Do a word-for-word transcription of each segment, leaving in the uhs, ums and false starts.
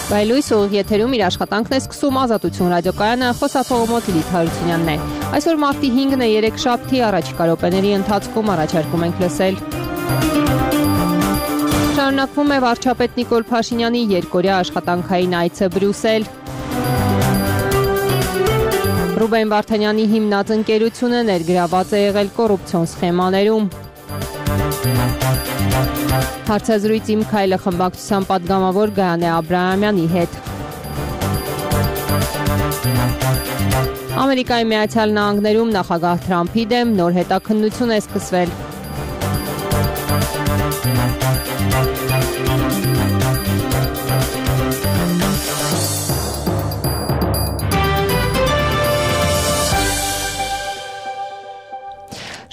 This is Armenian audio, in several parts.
Բայլույս ուղիղ եթերում իր աշխատանքն է սկսում Ազատություն ռադիոկայանը, խոսափողոմոտ Լիլիթ Հարությունյանն է։ Այսօր մարտի հինգն է, երեքշաբթի, առաջիկա րոպեների ընթացքում առաջարկում ենք լսել։ Շարունակվում է վարչապետ Նիկոլ Փաշինյանի երկօրյա աշխատանքային այցը Բրյուսել։ Ռուբեն Վարդանյանի հիմնած ընկերությունը ներգրաված է եղել կոռուպցիոն սխեմաներում։ Հարցազրույց Իմ քայլը խմբակցության պատգամավոր Գայանե Աբրահամյանի հետ։ Ամերիկայի Միացյալ Նահանգներում նախագահ Թրամփի դեմ նոր հետաքննություն է սկսվել։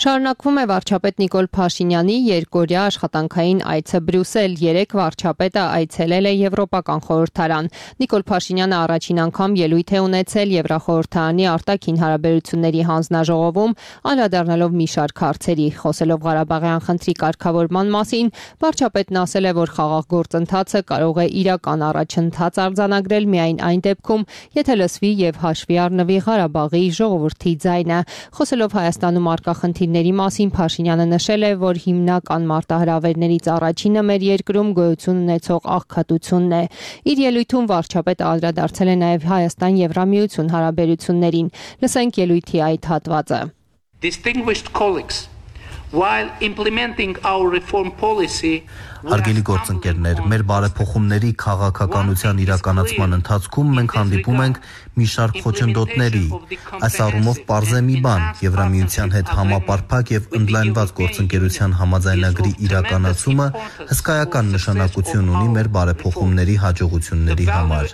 Շարունակվում է վարչապետ Նիկոլ Փաշինյանի երկօրյա աշխատանքային այցը Բրյուսել։ Երեկ վարչապետը այցելել է Եվրոպական խորհրդարան։ Նիկոլ Փաշինյանը առաջին անգամ ելույթ է ունեցել Եվրախորհրդարանի արտաքին հարաբերությունների հանձնաժողովում, անդրադառնալով մի շարք հարցերի։ Խոսելով Ղարաբաղյան խնդրի կարգավորման մասին, վարչապետն ասել է, որ խաղաղ գործընթացը կարող է իրական առաջընթաց արձանագրել միայն այն դեպքում, եթե լսվի եւ հաշվի առնվի Ղարաբաղի ժողովրդի ձայնը։ Խոսելով Հայաստանում առկա խնդիրների մասին, Փաշինյանը նշել է, որ հիմնական մարտահրավերներից առաջինը մեր երկրում գոյություն ունեցող աղքատությունն է։ Իր ելույթում վարչապետը անդրադարձել է նաև Հայաստան-Եվրամիություն հարաբերություններին։ Լսենք ելույթի այդ հատվածը։ Distinguished colleagues, while implementing our reform policy, Հարգելի գործընկերներ, մեր բարեփոխումների քաղաքականության իրականացման ընթացքում մենք հանդիպում ենք մի շարք խոչընդոտների։ Այս առումով պարզ է մի բան՝ Եվրամիության հետ համապարփակ եւ ընդլայնված գործընկերության համաձայնագրի իրականացումը հսկայական նշանակություն ունի մեր բարեփոխումների հաջողությունների համար։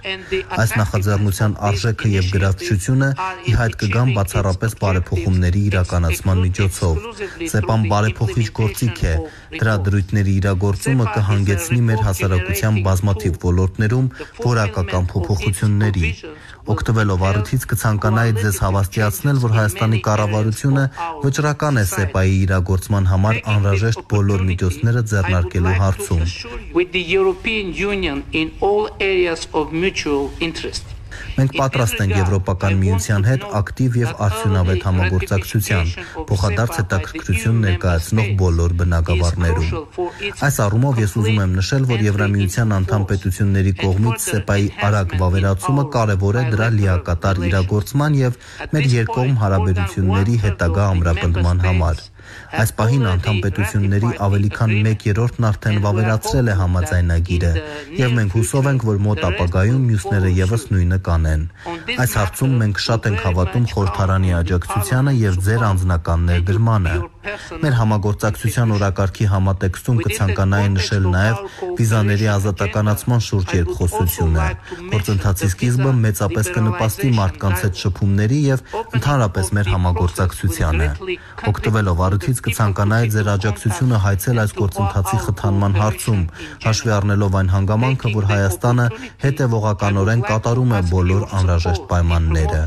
Այս նախաձեռնության արժեքը եւ գրավչությունը ի հայտ կգան բացառապես բարեփոխումների իրականացման միջոցով։ ՍԵՊԱ-ն բարեփոխիչ գործիք է, դրա դրույթների իրագործումը կհանգեցնի մեր հասարակության բազմաթիվ ոլորտներում որակական փոփոխությունների։ Օգտվելով առիթից կցանկանայի ձեզ հավաստիացնել, որ Հայաստանի կառավարությունը վճռական է ՍԵՊԱ-ի իրագործման համար անհրաժեշտ բոլոր միջոցները ձեռնարկելու հարցում։ Մենք պատրաստ ենք Եվրոպական միության հետ ակտիվ եւ արդյունավետ համագործակցության, փոխադարձ հետաքրքրություն ներկայացնող բոլոր բնագավառներում։ Այս առումով ես ուզում եմ նշել, որ Եվրամիության անդամ պետությունների կողմից ՍԵՊԱ-ի արագ վավերացումը կարևոր է դրա լիակատար իրագործման եւ մեր երկկողմ հարաբերությունների հետագա ամրապնդման համար։ Այս պահին անդամ պետությունների ավելի քան մեկ երրորդն արդեն վավերացրել է համաձայնագիրը, եւ մենք հուսով ենք, որ մոտ ապագայում մյուսները եւս նույնը կանեն։ Այս հարցում մենք շատ ենք հավատում խորհրդարանի աջակցությանը եւ ձեր անձնական ներդրմանը։ Մեր համագործակցության օրակարգի համատեքստում կցանկանայի նշել նաեւ վիզաների ազատականացման շուրջ երկխոսությունը։ Գործընթացի սկիզբը մեծապես կնպաստի մարդկանց հետ շփումների եւ ընդհանրապես մեր համագործակցությանը։ Օգտվելով առիթից կցանկանայի ձեր աջակցությունը հայցել այս գործընթացի խթանման հարցում, հաշվի առնելով այն հանգամանքը, որ Հայաստանը հետևողականորեն կատարում է բոլոր անհրաժեշտ պայմանները։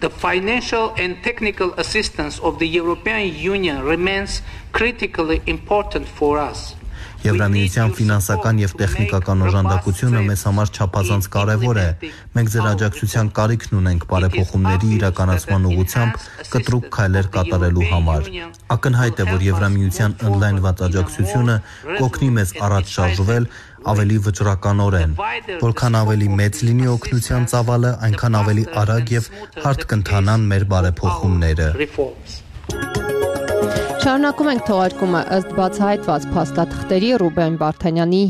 The financial and technical assistance of the European Union remains critically important for us. Եվրամիության ֆինանսական եւ տեխնիկական օժանդակությունը մեզ համար չափազանց կարեւոր է։ Մենք ձեր աջակցության կարիքն ունենք բարեփոխումների իրականացման ուղղությամբ կտրուկ քայլեր կատարելու համար։ Ակնհայտ է, որ Եվրամիության ընդլայնված աջակցությունը կօգնի մեզ առաջ շարժվել ավելի վճռականորեն։ Որքան ավելի մեծ լինի օգնության ծավալը, այնքան ավելի արագ եւ հարթ կընթանան մեր բարեփոխումները։ Շարունակում ենք թողարկումը ըստ բացահայտված փաստաթղթերի Ռուբեն Վարդանյանի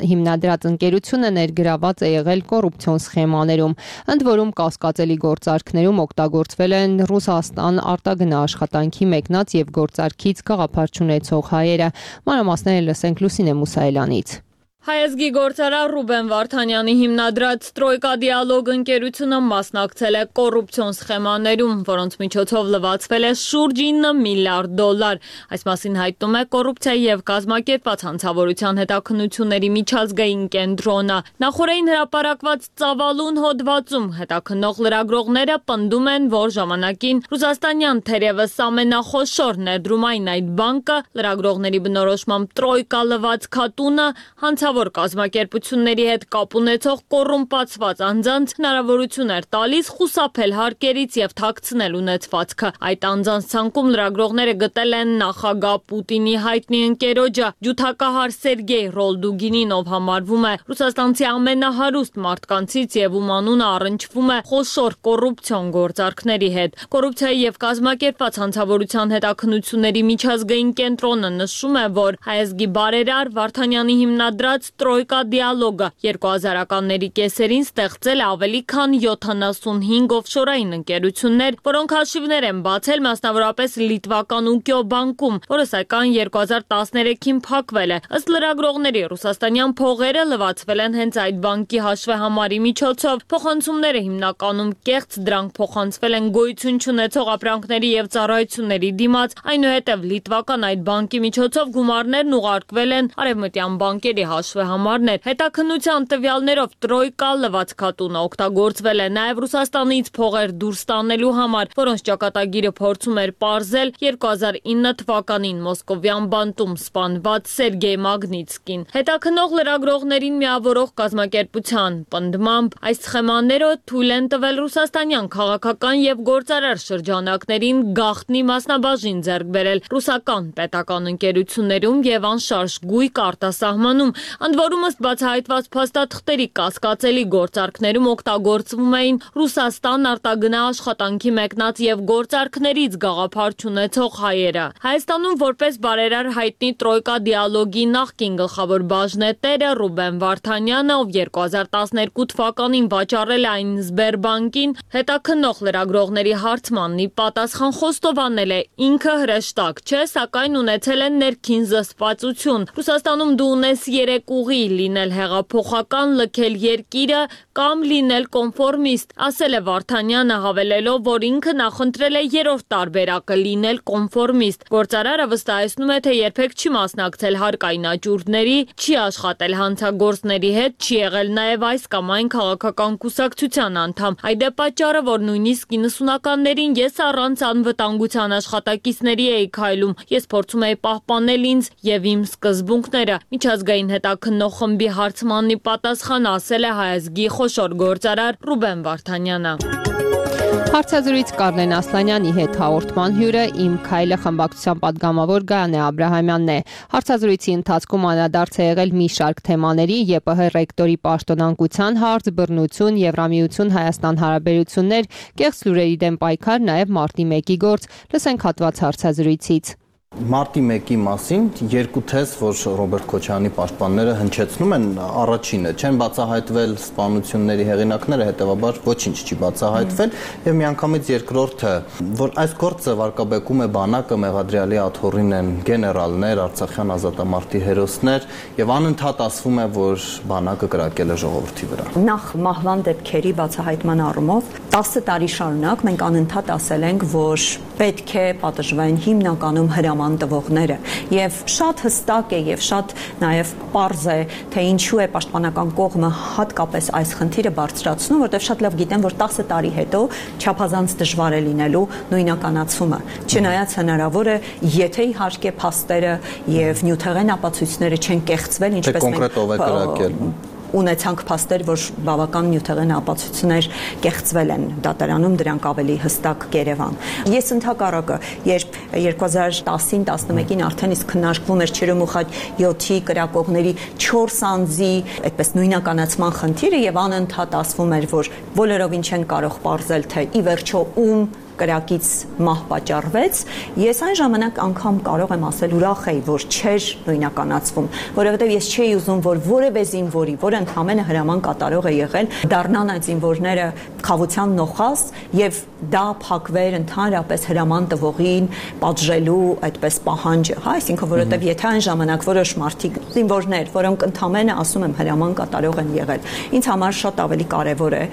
հիմնադրած ընկերությունը ներգրաված է եղել կոռուպցիոն սխեմաներում, ընդ որում կասկածելի գործարքներում օգտագործվել են Ռուսաստան արտագնա աշխատանքի մեկնած եւ գործարքից գաղափար չունեցող հայերը։ Մանրամասները լսենք Լուսինե Մուսայելյանից։ Հայազգի գործարար Ռուբեն Վարդանյանի հիմնադրած Տրոյկա դիալոգ ընկերությունը մասնակցել է կոռուպցիոն սխեմաներում, որոնց միջոցով լվացվել է շուրջ ինը միլիարդ դոլար։ Այս մասին հայտնում է կոռուպցիայի եւ կազմակերպված հանցավորության հետաքննությունների միջազգային կենտրոնը։ Նախորդին հրապարակված ծավալուն հոդվածում հետաքննող լրագրողները պնդում են, որ ժամանակին ռուսաստանյան թերևս ամենախոշոր ներդրումային այդ բանկը լրագրողների բնորոշմամբ Տրոյկա լված քատունը հանցավոր գլխավոր կազմակերպությունների հետ կապ ունեցող կոռումպացված անձանց հնարավորություն էր տալիս խուսափել հարկերից եւ թաքցնել ունեցվածքը։ Այդ անձանց ցանկում լրագրողները գտել են նախագահ Պուտինի հայտնի ընկերոջը, ջութակահար Սերգեյ Ռոլդուգինին, ով համարվում է ռուսաստանցի ամենահարուստ մարդկանցից եւ ում անունը առնչվում է խոշոր կոռուպցիոն գործարքների հետ։ Կոռուպցիայի եւ կազմակերպված հանցավորության հետաքննությունների միջազգային կենտրոնը նշում է, որ հայազգի բարերար Վարդանյանի հիմնադրած Տրոյկա դիալոգը երկու հազարականների կեսերին ստեղծել է ավելի քան յոթանասունհինգ օֆշորային ընկերություններ, որոնք հաշիվներ են բացել մասնավորապես լիտվական Ուկիո բանկում, որը սակայն երկու հազար տասներեքին փակվել է։ Ըստ լրագրողների, ռուսաստանյան փողերը լվացվել են հենց այդ բանկի հաշվեհամարի միջոցով։ Փոխանցումները հիմնականում կեղծ, դրանք փոխանցվել են գոյություն չունեցող ապրանքների եւ ծառայությունների դիմաց, այնուհետև լիտվական այդ բանկի միջոցով գումարներն ուղարկվել են արևմտյան բանկերի հաշվեհամարներ։ Հետաքննության տվյալներով Տրոյկա լվացքատունը օգտագործվել է նաեւ Ռուսաստանից փողեր դուրս տանելու համար, որոնց ճակատագիրը փորձում էր պարզել երկու հազար ինը թվականին Մոսկովյան բանտում սպանված Սերգեյ Մագնիտսկին։ Հետաքննող լրագրողներին միավորող կազմակերպության պնդմամբ այս սխեմաները թույլ են տվել ռուսաստանյան քաղաքական եւ գործարար շրջանակներին գաղտնի մասնաբաժին ձեռք բերել ռուսական պետական ընկերություններում եւ անշարժ գույք արտասահմանում, ընդ որում ըստ բացահայտված փաստաթղթերի կասկածելի գործարքներում օգտագործվում էին Ռուսաստան արտագնա աշխատանքի մեկնած եւ գործարքներից գաղափար չունեցող հայերը։ Հայաստանում որպես բարերար հայտնի Տրոյկա դիալոգի նախկին գլխավոր բաժնետերը Ռուբեն Վարդանյանը, ով երկու հազար տասներկու թվականին վաճառել է այն Սբերբանկին, հետաքննող լրագրողների հարցմանն ի պատասխան խոստովանել է, ինքը հրեշտակ չէ, սակայն ունեցել են ներքին զսպվածություն։ Ռուսաստանում դու ունես երեք ուղի՝ լինել հեղափոխական, լքել երկիրը կամ լինել կոնֆորմիստ, ասել է Վարդանյանը, հավելելով, որ ինքը նախընտրել է երրորդ տարբերակը՝ լինել կոնֆորմիստ։ Գործարարը վստահեցնում է, թե երբեք չի մասնակցել հարկային աճուրդների, չի աշխատել հանցագործների հետ, չի եղել նաև այս կամ այն քաղաքական կուսակցության անդամ։ Այդ է պատճառը, որ նույնիսկ իննսունականներին ես առանց անվտանգության աշխատակիցների էի քայլում, ես փորձում էի պահպանել ինձ եւ իմ սկզբունքները։ Միջազգային հետաքննող խմբի հարցմանն ի պատասխան ասել է հայազգի խոշոր գործարար Ռուբեն Վարդանյանը։ Հարցազրույց Կարլեն Ասլանյանի հետ հաղորդման հյուրը Իմ քայլը խմբակցության պատգամավոր Գայանե Աբրահամյանն է։ Հարցազրույցի ընթացքում անդրադարձ է եղել մի շարք թեմաների՝ ԵՊՀ ռեկտորի պաշտոնանկության հարց, բռնություն, Եվրամիություն Հայաստան հարաբերություններ, կեղծ լուրերի դեմ պայքար, նաև մարտի մեկի գործ։ Լսենք հատված հարցազրույցից։ Մարտի մեկի մասին երկու թեզ, որ Ռոբերտ Քոչարյանի պաշտպանները հնչեցնում են, առաջինը չեն բացահայտվել սպանությունների հեղինակները, հետևաբար ոչինչ չի բացահայտվել, եւ միանգամից երկրորդը, որ այս գործը վարկաբեկում է բանակը, մեղադրյալի աթոռին են գեներալներ, Արցախյան ազատամարտի հերոսներ, եւ անընդհատ ասվում է, որ բանակը կրակել է ժողովրդի վրա։ Նախ մահվան դեպքերի բացահայտման առումով տասը տարի շարունակ մենք անընդհատ ասել ենք, որ պետք է պատժվեն հիմնականում հրաման տվողները, եւ շատ հստակ է եւ շատ նաեւ պարզ է, թե ինչու է պաշտպանական կողմը հատկապես այս խնդիրը բարձրացնում, որտեղ շատ լավ գիտեն, որ տասը տարի հետո չափազանց դժվար է լինելու նույնականացումը, չնայած հնարավոր է, եթե իհարկե փաստերը եւ նյութեղեն ապացույցները չեն կեղծվել, ինչպես մենք ունեցանք փաստեր, որ բավական նյութեղեն ապացույցներ կեղծվել են դատարանում, դրանք ավելի հստակ կերևան։ Ես ընդհակառակը, երբ երկու հազար տասին տասնմեկին արդեն իսկ քննարկվում էր Չերեմուխայ յոթի կրակողների չորս անձի այդպես նույնականացման խնդիրը եւ անընդհատ ասվում էր, որ բոլորովին չեն կարող պարզել, թե ի վերջո ում կրակից մահ պատճառվեց, ես այն ժամանակ անգամ կարող եմ ասել ուրախ էի, որ չէր նույնականացվում, որովհետև ես չէի ուզում, որ որևէ զինվորի, որը ընդհանրապես հրաման կատարող է եղել, դառնան այդ զինվորները խավության նոխազ եւ դա փակվեր ընդհանրապես հրաման տվողին պատժելու այդպես պահանջը, հա, այսինքն որովհետև եթե այն ժամանակ որոշ մարդիկ զինվորներ, որոնք ընդհանրապես ասում եմ հրաման կատարող են եղել, ինձ համար շատ ավելի կարեւոր է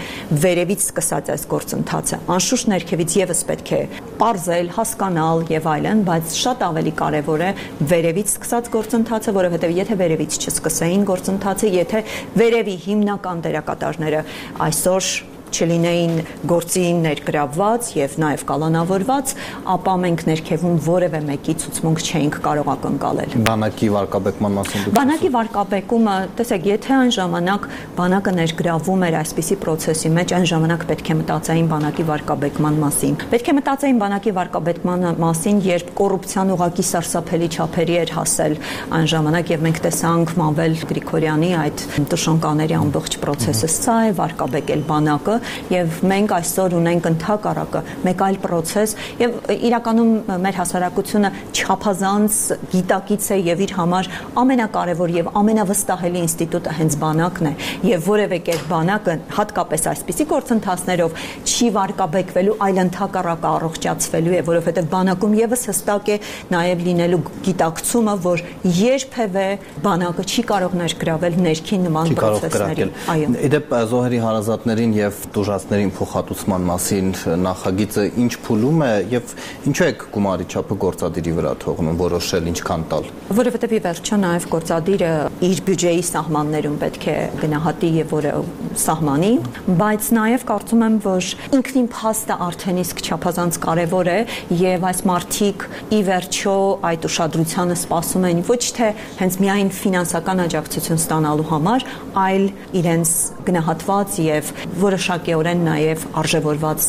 վերևից սկսած այս գործընթացը, անշուշտ ներքևից եւս պետք է պարզել, հասկանալ եւ այլն, բայց շատ ավելի կարեւոր է վերևից սկսած գործընթացը, որովհետեւ եթե վերևից չսկսեին գործընթացը, եթե վերևի հիմնական դերակատարները այսօր չլինեին գործի ներգրավված եւ նաեւ կալանավորված, ապա մենք ներքևում որևէ մեկի ցուցմունք չէինք կարող ակնկալել։ Բանակի վարկաբեկման մասին դուք Բանակի վարկաբեկումը, տեսեք, եթե այն ժամանակ բանակը ներգրավում էր այսպիսի process-ի մեջ, այն ժամանակ պետք է մտածեին բանակի վարկաբեկման մասին։ Պետք է մտածեին բանակի վարկաբեկման մասին, երբ կոռուպցիան ուղղակի սարսափելի չափերի էր հասել այն ժամանակ եւ մենք տեսանք Մանվել Գրիգորյանի այդ տշնկաների ամբողջ process-ը, սա է վարկաբեկել բանակը եւ մենք այսօր ունենք ընդհակառակը մեկ այլ process եւ իրականում մեր հասարակությունը չափազանց գիտակից է եւ իր համար ամենակարևոր եւ ամենավստահելի ինստիտուտը հենց բանակն է եւ որևէ կերպ բանակը հատկապես այսպիսի գործընթացներով չի վարկաբեկվելու, այլ ընդհակառակը առողջացվելու է, որովհետեւ բանակում եւս հստակ է նաեւ լինելու գիտակցումը, որ երբևէ բանակը չի կարող ներգրավել ներքին նման process-ների։ Այո։ Իդեպ զոհերի հարազատներին եւ տուժածներին փոխհատուցման մասին նախագիծը ինչ փուլում է եւ ինչու է գումարի չափը գործադիրի վրա թողնում որոշել ինչքան տալ։ Որովհետեւ ի վերջո նաեւ գործադիրը իր բյուջեի սահմաններում պետք է գնահատի եւ որը սահմանի, բայց նաեւ կարծում եմ, որ ինքնին փաստը արդեն իսկ չափազանց կարեւոր է եւ այս մարդիկ ի վերջո այդ ուշադրությանը սպասում են ոչ թե հենց միայն ֆինանսական աջակցություն ստանալու համար, այլ իրենց գնահատված եւ որոշակիորեն նաեւ արժևորված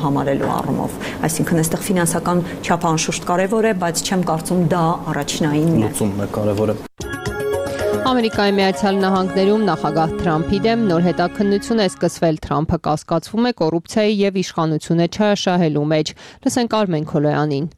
համարելու առումով։ Այսինքն այստեղ ֆինանսական չափը անշուշտ կարեւոր է, բայց չեմ կարծում դա առաջնայինն է։ Լուծումն է կարևորը։ Ամերիկայի Միացյալ Նահանգներում նախագահ Թրամփի դեմ նոր հետաքննություն է սկսվել։ Թրամփը կասկածվում է կոռուպցիայի եւ իշխանությունը չհաշահելու մեջ։ Լսենք Արմեն Քոլոյանին։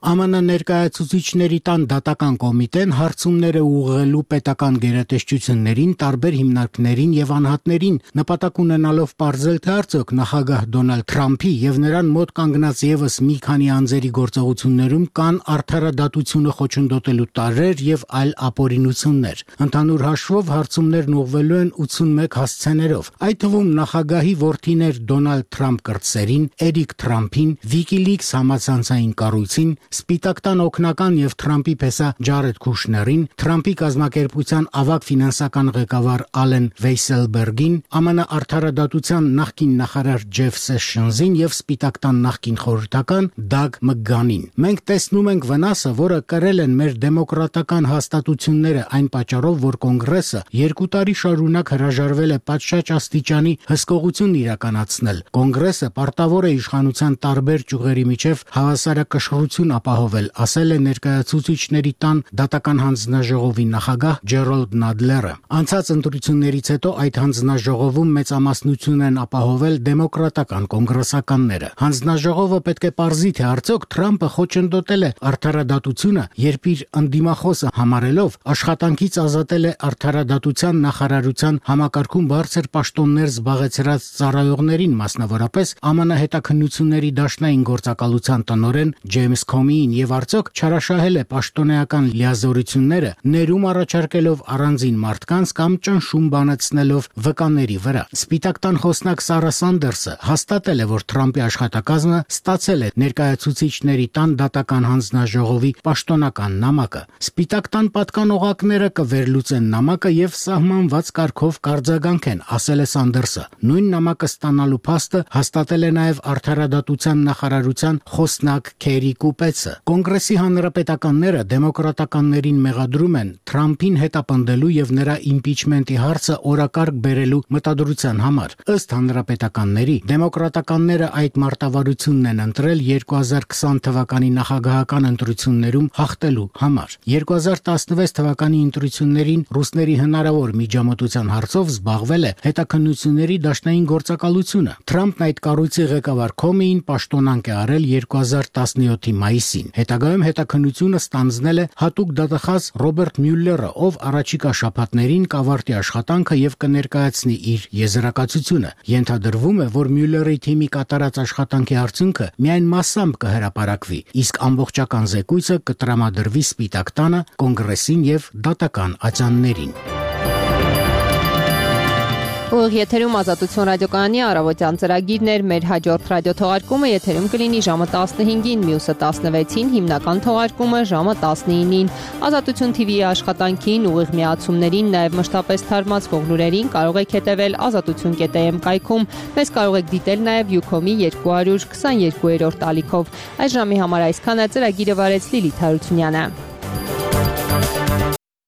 ԱՄՆ ներկայացուցիչների տան դատական կոմիտեն հարցումները ուղղելու պետական գերատեսչություններին, տարբեր հիմնարկներին եւ անհատներին նպատակ ունենալով պարզել, թե արդյոք նախագահ Դոնալդ Թրամփի եւ նրան մոտ կանգնած եւս մի քանի անձերի գործողություններում կան արդարադատությունը խոչընդոտելու տարրեր եւ այլ ապօրինություններ։ Ընդհանուր հաշվով հարցումներն ուղղվելու են ութսունմեկ հասցեներով, այդ թվում նախագահի որդիներ Դոնալդ Թրամփ կրտսերին, Էրիկ Թրամփին, WikiLeaks համացանցային կառույցին, Սպիտակ տան օգնական եւ Թրամփի փեսա Ջարեդ Քուշներին, Թրամփի կազմակերպության ավագ ֆինանսական ղեկավար Ալեն Վեյսելբերգին, ԱՄՆ արդարադատության նախկին նախարար Ջեֆ Սեշնզին եւ Սպիտակ տան նախկին խորհրդական Դագ Մկգանին։ Մենք տեսնում ենք վնասը, որը կրել են մեր դեմոկրատական հաստատությունները այն պատճառով, որ կոնգրեսը երկու տարի շարունակ հրաժարվել է պատշաճ աստիճանի հսկողություն իրականացնել։ Կոնգրեսը պարտավոր է իշխանության տարբեր ճյուղերի միջև հավասարակշռություն ապահովել, ասել է ներկայացուցիչների տան դատական հանձնաժողովի նախագահ Ջերոլդ Նադլերը։ Անցած ընտրություններից հետո այդ հանձնաժողովում մեծամասնություն են ապահովել դեմոկրատական կոնգրեսականները։ Հանձնաժողովը պետք է պարզի, թե արդյոք Թրամփը խոչընդոտել է արդարադատությունը, երբ իր ընդդիմախոսը համարելով աշխատանքից ազատել է արդարադատության նախարարության համակարգում բարձր պաշտոններ զբաղեցրած ծառայողներին, մասնավորապես ԱՄՆ հետաքննությունների դաշնային գործակալության տնօրեն Ջեյմս Քոմիին եւ արդյոք չարաշահել է պաշտոնեական լիազորությունները, ներում առաջարկելով առանձին մարդկանց կամ ճնշում բանացնելով վկաների վրա։ Սպիտակ տան խոսնակ Սարա Սանդերսը հաստատել է, որ Թրամփի աշխատակազմը ստացել է ներկայացուցիչների տան դատական հանձնաժողովի պաշտոնական նամակը։ Սպիտակ տան պատկանողակները կվերլուծեն նամակը եւ սահմանված կարգով կարձագանքեն, ասել է Սանդերսը։ Նույն նամակը ստանալու փաստը հաստատել է նաեւ արդարադատության նախարարության խոսնակ Քերի Կուպեցը։ Կոնգրեսի հանրապետականները դեմոկրատականներին մեղադրում են Թրամփին հետապնդելու եւ նրա իմպիչմենտի հարցը օրակարգ բերելու մտադրության համար։ Ըստ հանրապետականների, դեմոկրատականները այդ մարտավարությունն են ընտրել երկու հազար քսան թվականի նախագահական ընտրություններում հաղթելու համար։ երկու հազար տասնվեց թվականի ընտրություններին ռուսների հնարավոր միջամտության հարցով զբաղվել է հետաքննությունների դաշնային գործակալությունը։ Թրամփն այդ կառույցի ղեկավար Քոմիին պաշտոնանկ է արել երկու հազար տասնյոթի մայիսին։ Հետագայում հետաքննությունը ստանձնել է հատուկ դատախազ Ռոբերտ Մյուլլերը, ով առաջիկա շաբաթներին կավարտի աշխատանքը եւ կներկայացնի իր եզրակացությունը։ Ենթադրվում է, որ Մյուլլերի թիմի կատարած աշխատանքի արդյունքը միայն մասամբ կհրապարակվի, իսկ ամբողջական զեկույցը կտրամադրվի Սպիտակ տանը, կոնգրեսին եւ դատական ատյաններին։ Ուղիղ եթերում Ազատություն ռադիոկայանի առավոտյան ծրագիրն էր, մեր հաջորդ ռադիոթողարկումը եթերում կլինի ժամը տասնհինգին, մյուսը տասնվեցին, հիմնական թողարկումը ժամը տասնինին։ Ազատություն թիվի աշխատանքին, ուղիղ միացումներին, նաև մշտապես թարմացվող լուրերին կարող եք հետևել ազատություն կետ է էմ կայքում։ Մեզ կարող եք դիտել նաև Յուքոմի երկու հարյուր քսաներկուերորդ ալիքով։ Այս ժամի համար այսքանը, ծրագիրը վարեց Լիլիթ Հարությունյանը։